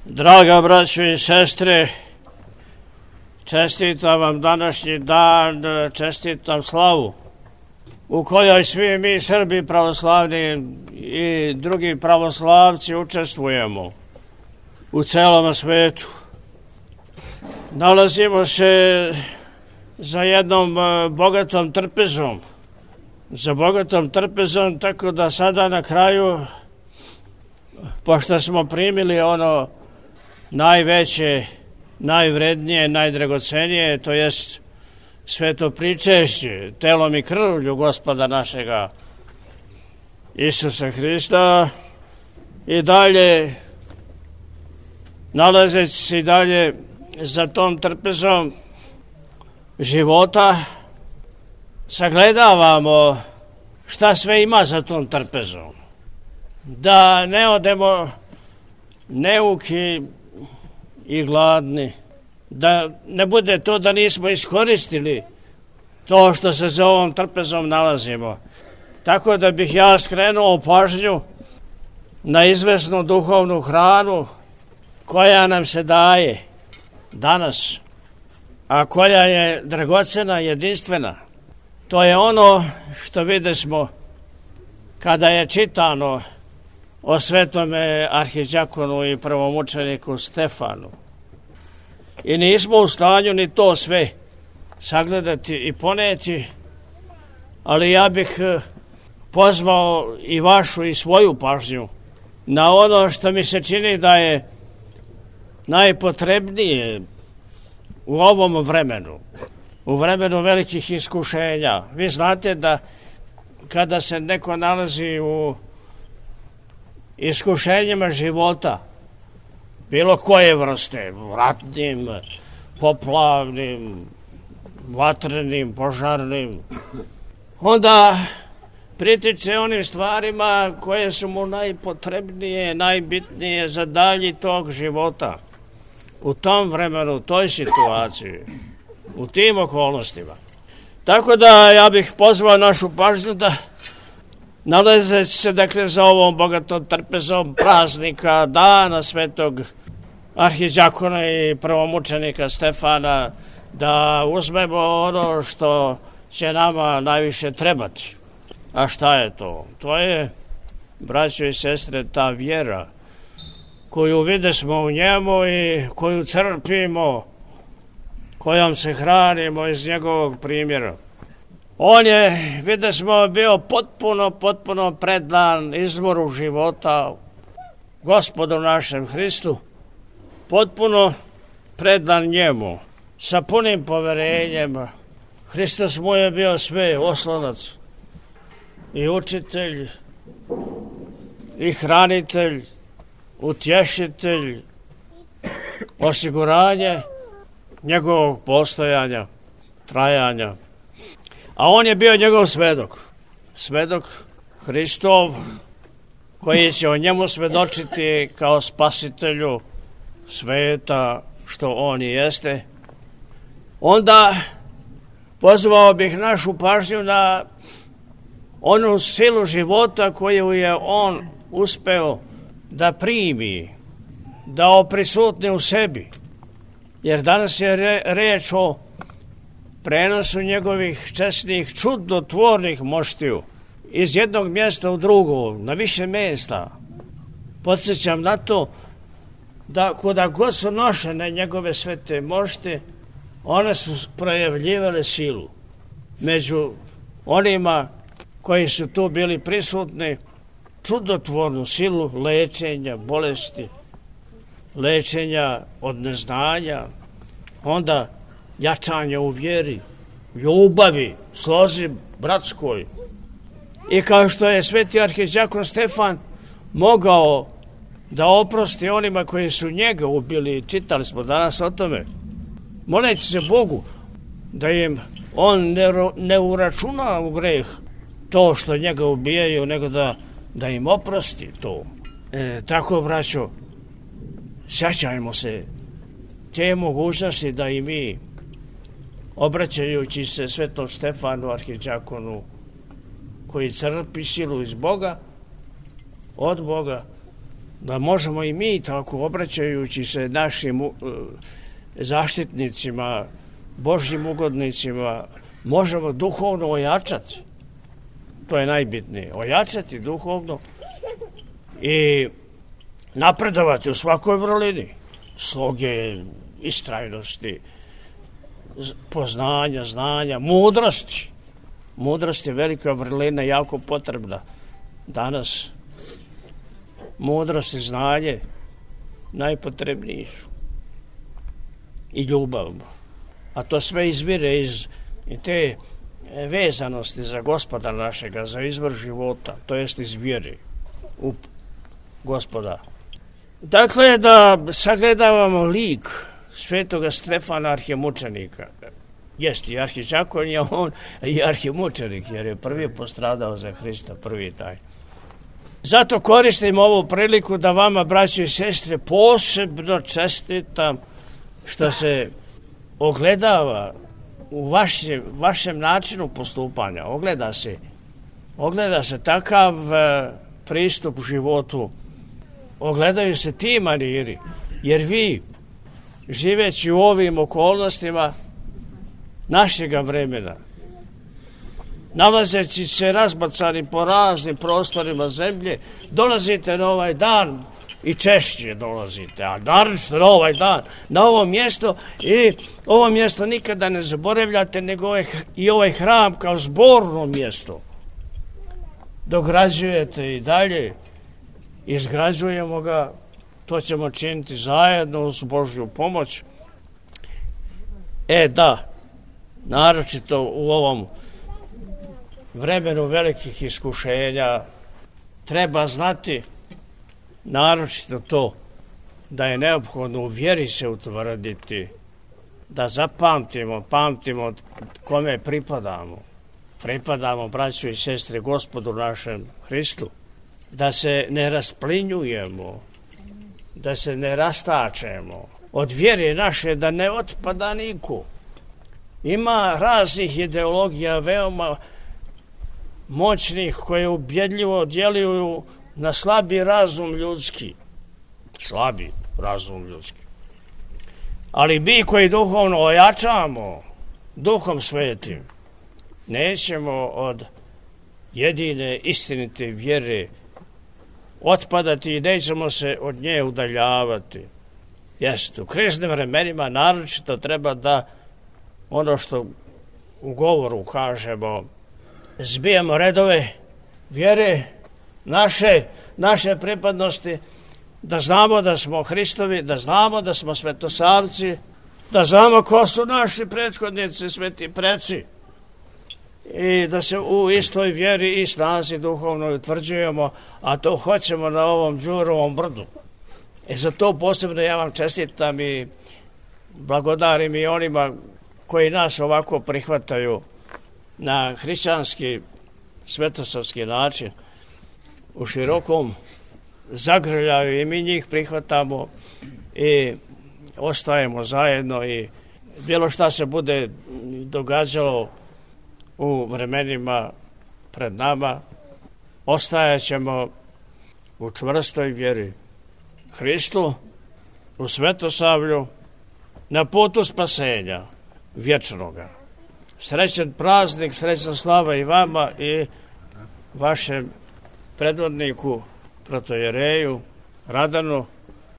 Draga braćo i sestre, čestitam vam današnji dan, čestitam slavu u kojoj svi mi Srbi pravoslavni i drugi pravoslavci učestvujemo u celom svetu. Nalazimo se za jednom bogatom trpezom, tako da sada na kraju, pošto smo primili ono najveće, najvrednije, najdragocenije, to jest sveto pričešće, telom i krvlju Gospoda našega Isusa Hrista, i dalje, nalazeći se i dalje za tom trpezom života, sagledavamo šta sve ima za tom trpezom. Da ne odemo neuki i gladni, da ne bude to da nismo iskoristili to što se za ovom trpezom nalazimo. Tako da bih ja skrenuo pažnju na izvesnu duhovnu hranu koja nam se daje danas, a koja je dragocena, jedinstvena. To je ono što videsmo kada je čitano o svetome arhidjakonu i prvomučeniku Stefanu. I nismo u stanju ni to sve sagledati i poneti, ali ja bih pozvao i vašu i svoju pažnju na ono što mi se čini da je najpotrebnije u ovom vremenu, u vremenu velikih iskušenja. Vi znate da kada se neko nalazi u iskušenjima života, bilo koje vrste, ratnim, poplavnim, vatrenim, požarnim, onda pritiče onim stvarima koje su mu najpotrebnije, najbitnije za dalji tog života. U tom vremenu, u toj situaciji, u tim okolnostima. Tako da ja bih pozvao našu pažnju da nalazeći se dakle za ovom bogatom trpezom praznika, dana svetog arhidjakona i prvomučenika Stefana, da uzmemo ono što će nama najviše trebati. A šta je to? To je, braćo i sestre, ta vjera koju videsmo u njemu i koju crpimo, kojom se hranimo iz njegovog primjera. On je, videsmo, bio potpuno predan izvoru života Gospodu našem Hristu, potpuno predan njemu, sa punim poverenjem. Hristos mu je bio sve, oslonac i učitelj i hranitelj, utješitelj, osiguranje njegovog postojanja, trajanja. A on je bio njegov svedok Hristov, koji će o njemu svedočiti kao spasitelju sveta, što on i jeste. Onda pozvao bih našu pažnju na onu silu života koju je on uspeo da primi, da oprisutni u sebi. Jer danas je reč o prenosu njegovih česnih, čudotvornih moštiju iz jednog mjesta u drugo, na više mjesta. Podsjećam na to da kuda god su nošene njegove svete mošte, one su projavljivale silu. Među onima koji su tu bili prisutni, čudotvornu silu lečenja bolesti, lečenja od neznanja, onda jačanje u vjeri, ljubavi, slozi bratskoj. I kao što je sveti arhidjakon Stefan mogao da oprosti onima koji su njega ubili, čitali smo danas o tome, moleći se Bogu da im on ne uračuna u greh to što njega ubijaju, nego da im oprosti to. Tako, braćo, sjećajmo se te mogućnosti da i mi, obraćajući se svetom Stefanu arhidjakonu, koji crpi silu iz Boga, od Boga, da možemo i mi tako, obraćajući se našim zaštitnicima, Božjim ugodnicima, možemo duhovno ojačati. To je najbitnije. Ojačati duhovno i napredovati u svakoj vrlini. Sloge, istrajnosti, poznanja, znanja, mudrosti. Mudrost je velika vrlina, jako potrebna danas. Mudrost i znanje najpotrebniji su. I ljubav. A to sve izvire iz te vezanosti za Gospoda našega, za izvor života, to jest iz vjere u Gospoda. Dakle, da sagledavamo lik svetoga Stefana arhimučenika. Jest i arhiđakon je on i arhimučenik, jer je prvi postradao za Hrista, prvi taj. Zato koristim ovu priliku da vama, braći i sestre, posebno čestitam što se ogledava u vašem načinu postupanja. Ogleda se takav pristup u životu. Ogledaju se ti maniri, jer vi, živeći u ovim okolnostima našega vremena, nalazeći se razbacani po raznim prostorima zemlje, dolazite na ovaj dan i češće dolazite, a naročito na ovaj dan, na ovo mjesto, i ovo mjesto nikada ne zaboravljate, nego i ovaj hram kao zborno mjesto dograđujete i dalje, izgrađujemo ga, to ćemo činiti zajedno uz Božju pomoć. Da, naročito u ovom vremenu velikih iskušenja treba znati naročito to da je neophodno u vjeri se utvrditi, da pamtimo kome pripadamo. Pripadamo, braćo i sestre, Gospodu našem Hristu. Da se ne rasplinjujemo, da se ne rastačemo od vjere naše, da ne otpada niko. Ima raznih ideologija veoma moćnih koje ubjedljivo djeluju na slabi razum ljudski. Ali mi koji duhovno ojačamo Duhom Svetim, nećemo od jedine istinite vjere otpadati i nećemo se od nje udaljavati. U kriznim vremenima naročito treba da ono što u govoru kažemo, zbijemo redove vjere naše pripadnosti, da znamo da smo Hristovi, da znamo da smo svetosavci, da znamo ko su naši prethodnici, sveti preci, i da se u istoj vjeri i snazi duhovno utvrđujemo, a to hoćemo na ovom Đurovom brdu. Za to posebno ja vam čestitam i blagodarim i onima koji nas ovako prihvataju na hrišćanski, svetosavski način, u širokom zagrljaju, i mi njih prihvatamo i ostajemo zajedno, i bilo šta se bude događalo u vremenima pred nama, ostajat ćemo u čvrstoj vjeri Hristu, u svetosavlju, na putu spasenja vječnoga. Srećan praznik, srećna slava i vama i vašem predvodniku, protojereju Radanu,